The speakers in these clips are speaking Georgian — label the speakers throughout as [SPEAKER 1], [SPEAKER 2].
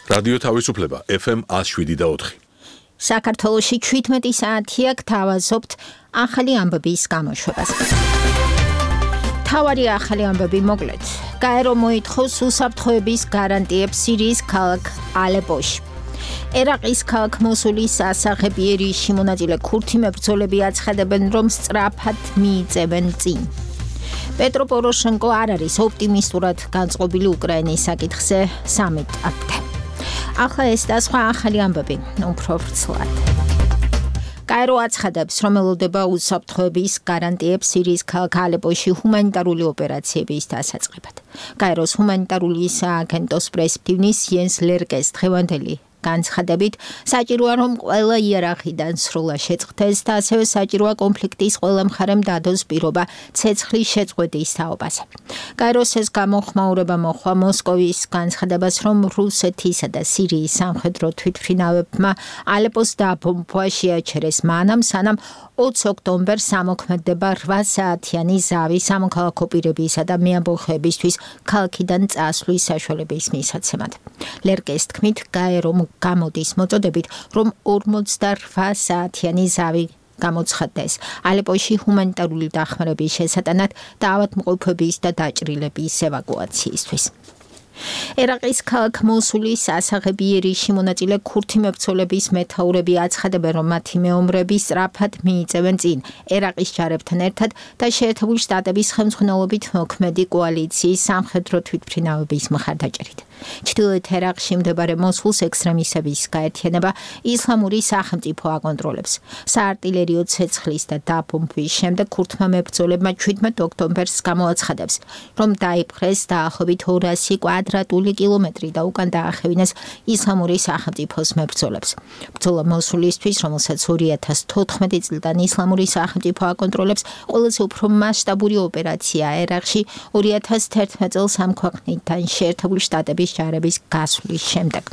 [SPEAKER 1] რადიო თავისუფლება FM 107.4.
[SPEAKER 2] საქართველოში 17 საათია გთავაზობთ ახალი ამბების გამოშვებას. თავარი ახალი ამბები მოკლედ. გაერო მოითხოვს უსაფრთხოების გარანტიებს სირიის ქალაქ ალეპოში. ერაყის ქალაქ მოსულის სასახებიერი შემონაწილე ქურთი მებრძოლები აცხადებენ, რომ სწრაფად მიიწევენ წინ. პეტრო პოროშენკო არ არის ოპტიმისტურად განწყობილი უკრაინის საკითხზე სამიტამდე. ახლა ეს და სხვა ახალი ამბები, უფრო ვრცლად. გაერო აცხადებს, რომ ელოდება უსაფრთხოების გარანტიებს სირიის ქალაქ ალეპოში ჰუმანიტარული ოპერაციების დასაწყებად. გაეროს ჰუმანიტარული სააგენტოს პრესმდივნის იენს ლერკეს დღევანდელი განცხადებით, საჭიროა რომ ყველა იერარქიდან სრულად შეწყდეს და ასევე საჭიროა კონფლიქტის ყველა მხარემ დადოს პირობა ცეცხლის შეწყვეტის თაობაზე. გაეროს ეს გამოხმაურება მოჰყვა მოსკოვის განცხადებას, რომ რუსეთისა და სირიის სამხედრო თვითმფრინავებმა ალეპოს დაბომბვა შეაჩერეს მანამ, სანამ 20 ოქტომბერს ამოქმედება 8 საათიანი ზავი სამოქალაქო პირებისა და მეამბოხეებისთვის ქალაქიდან წასვლის საშუალების მისაცემად. ლერკეს თქმით, გაერომ გამოდის მოწოდებით, რომ 48 საათიანი ზავი გამოცხადდეს ალეპოში ჰუმანიტარული დახმარების შესატანად და ავადმყოფების და დაჭრილების ევაკუაციისთვის. ერაყის ქალაქ მოსულის სასახებიერი შემონაწილე ქურთი მებრძოლების მეთაურები აცხადებენ, რომ მათი მეომრები სწრაფად მიიწევენ წინ ერაყის ჯარებთან ერთად და შეერთებული შტატების ხელმძღვანელობით მოქმედი კოალიციის სამხედრო თვითმფრინავების მხარდაჭერით. ჩრდილოეთ ერაყში მდებარე მოსულს ექსტრემისტების გაერთიანება ისლამური სახელმწიფო აკონტროლებს. საარტილერიო ცეცხლის და დაბომბვის შემდეგ ქურთმა მებრძოლებმა 17 ოქტომბერს გამოაცხადებს, რომ დაიპყრეს დაახლოებით 200 კვადრატული კილომეტრი და უკან დაახევინეს ისლამური სახელმწიფოს მებრძოლებს. ბრძოლა მოსულისთვის, რომელსაც 2014 წლიდან ისლამური სახელმწიფო აკონტროლებს, ყველაზე უფრო მასშტაბური ოპერაცია ერაყში 2011 წელს ამ ქვეყნიდან შეერთებული შტატების ჯარების გასვლის შემდეგ.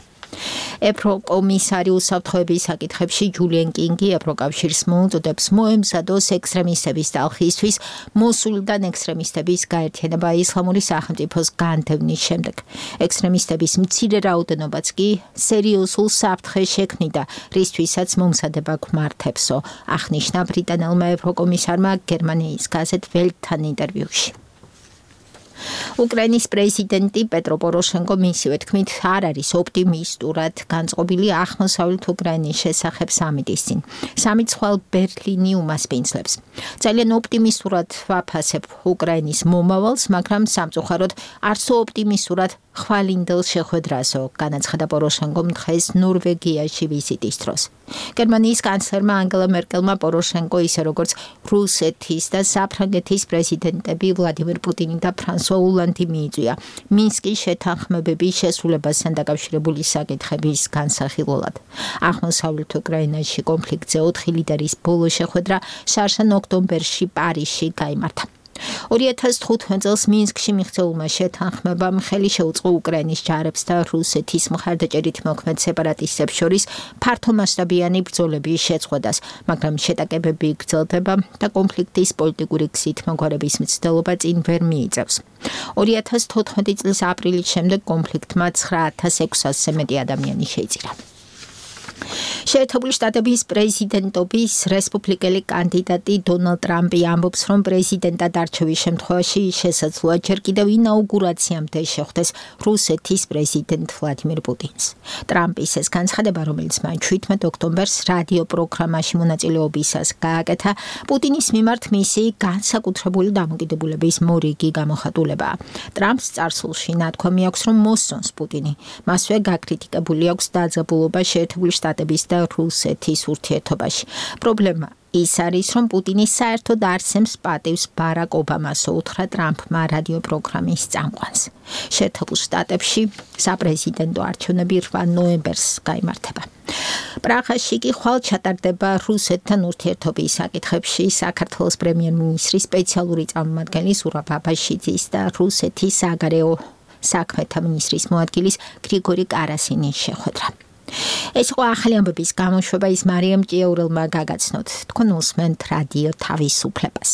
[SPEAKER 2] ევროკომისარი უსაფრთხოების საკითხებში ჯულიან კინგი ევროკავშირს მოუწოდებს მოემზადოს ექსტრემისტების ტალხისთვის მოსულიდან ექსტრემისტების გაერთიანება ისლამური სახელმწიფოს განდევნის შემდეგ. ექსტრემისტების მცირე რაოდენობაც კი სერიოზულ საფრთხეს შექმნიდა, რისთვისაც მომზადება გვმართებსო, აღნიშნა ბრიტანელმა ევროკომისარმა გერმანიის გაზეთ ველტთან ინტერვიუში. უკრაინის პრეზიდენტი პეტრო პოროშენკო მისივე თქმით არ არის ოპტიმისტურად განწყობილი აღმოსავლეთ უკრაინის შესახებ სამიტის წინ. სამიტს ხვალ ბერლინი უმასპინძლებს. ძალიან ოპტიმისტურად ვაფასებ უკრაინის მომავალს, მაგრამ სამწუხაროდ არც ოპტიმისტურად ხვალინდელ შეხვედრასო, განაცხადა პოროშენკომ დღეს ნორვეგიაში ვიზიტის დროს. გერმანიის კანცლერმა ანგელა მერკელმა პოროშენკო ისე როგორც რუსეთის და საფრანგეთის პრეზიდენტები ვლადიმერ პუტინი და ფრანსუა ოლანდი მიიწვია მინსკის შეთანხმებების შესრულებასთან დაკავშირებული საკითხების განსახილველად. აღმოსავლეთ უკრაინაში კონფლიქტზე 4 ლიდერის ბოლო შეხვედრა შარშან ოქტომბერში პარიზში გაიმართა. 2015 წელს მინსკში მიღწეულმა შეთანხმებამ ხელი შეუწყო უკრაინის ჯარებს და რუსეთის მხარდაჭერით მოქმედ სეპარატისტებს შორის ფართომასშტაბიანი ბრძოლების შეწყვეტას, მაგრამ შეტაკებები გრძელდება და კონფლიქტის პოლიტიკური გზით მოგვარების მცდელობა წინ ვერ მიიწევს. 2014 წლის აპრილის შემდეგ კონფლიქტმა 9600-ზე მეტი ადამიანი შეიწირა. შეერთებული შტატების პრეზიდენტობის რესპუბლიკელი კანდიდატი დონალდ ტრამპი ამბობს, რომ პრეზიდენტად არჩევის შემთხვევაში შესაძლოა ჯერ კიდევ ინაუგურაციამდე შეხვდეს რუსეთის პრეზიდენტ ვლადიმერ პუტინს. ტრამპის ეს განცხადება, რომელიც მან 17 ოქტომბერს რადიო პროგრამაში მონაწილეობისას გააკეთა, პუტინის მიმართ მისი განსაკუთრებული დამოკიდებულების მორიგი გამოხატულებაა. ტრამპს წარსულში ნათქვამი აქვს, რომ მოსწონს პუტინი. მასვე გაკრიტიკებული აქვს დაძაბულობა შეერთებული შტატების და რუსეთის ურთიერთობაში. პრობლემა ის არის, რომ პუტინი საერთოდ არცემს პატივს ბარაკ ობამას, უთხრა ტრამპმა რადიო პროგრამის წამყვანს. შეერთებულ შტატებში საპრეზიდენტო არჩევნები 8 ნოემბერს გაიმართება. პრაღაში კი ხვალ ჩატარდება რუსეთთან ურთიერთობის საკითხებში საქართველოს პრემიერ-მინისტრის სპეციალური წარმომადგენელი ზურაბ აბაშიძის და რუსეთის საგარეო საქმეთა მინისტრის მოადგილის გრიგორი კარასინის შეხვედრა. ეს იყო ახალი ამბების გამოშვება, ის მარიამ ჭიაურელმა გაგაცნოთ. თქვენ უსმენთ რადიო თავისუფლებას.